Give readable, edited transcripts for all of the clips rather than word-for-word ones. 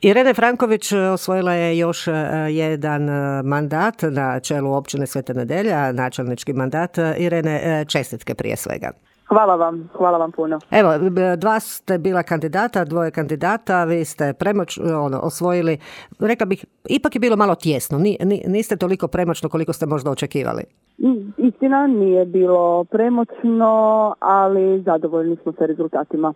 Irena Franković osvojila je još jedan mandat na čelu općine Sveta Nedelja, načelnički mandat. Irene, čestitke prije svega. Hvala vam puno. Evo, dva ste bila kandidata, dvoje kandidata, vi ste osvojili, rekla bih, ipak je bilo malo tjesno, niste toliko premoćno koliko ste možda očekivali. Istina, nije bilo premoćno, ali zadovoljni smo sa rezultatima.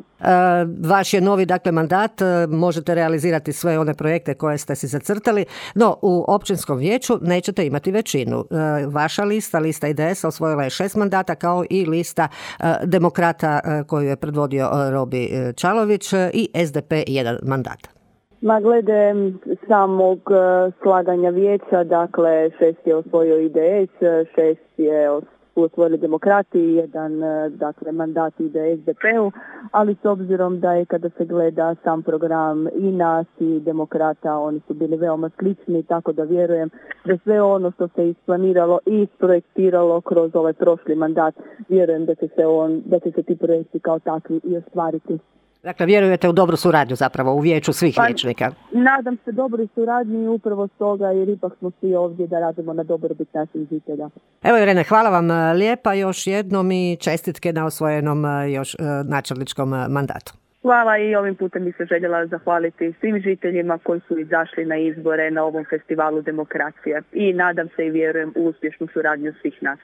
Vaš je novi, mandat, možete realizirati sve one projekte koje ste si zacrtali, no u općinskom vijeću nećete imati većinu. Vaša lista IDS osvojila je 6 mandata, kao i lista Demokrata koju je predvodio Robi Čalović i SDP 1 mandat. Glede samog slaganja vijeća, 6 je osvojio IDS, 6 je osvojili Demokrati, 1 mandat ide SDP-u, ali s obzirom da je kada se gleda sam program i nas i Demokrata, oni su bili veoma slični, tako da vjerujem da sve ono što se isplaniralo i isprojektiralo kroz ovaj prošli mandat, vjerujem da će se ti projekti kao takvi i ostvariti. Dakle, vjerujete u dobru suradnju zapravo u vijeću svih vijećnika? Nadam se dobroj suradnji upravo stoga jer ipak smo svi ovdje da radimo na dobrobit naših žitelja. Evo Irene, hvala vam lijepa još jednom i čestitke na osvojenom još načelničkom mandatu. Hvala i ovim putem bi se željela zahvaliti svim žiteljima koji su izašli na izbore na ovom festivalu demokracije i nadam se i vjerujem u uspješnu suradnju svih nas.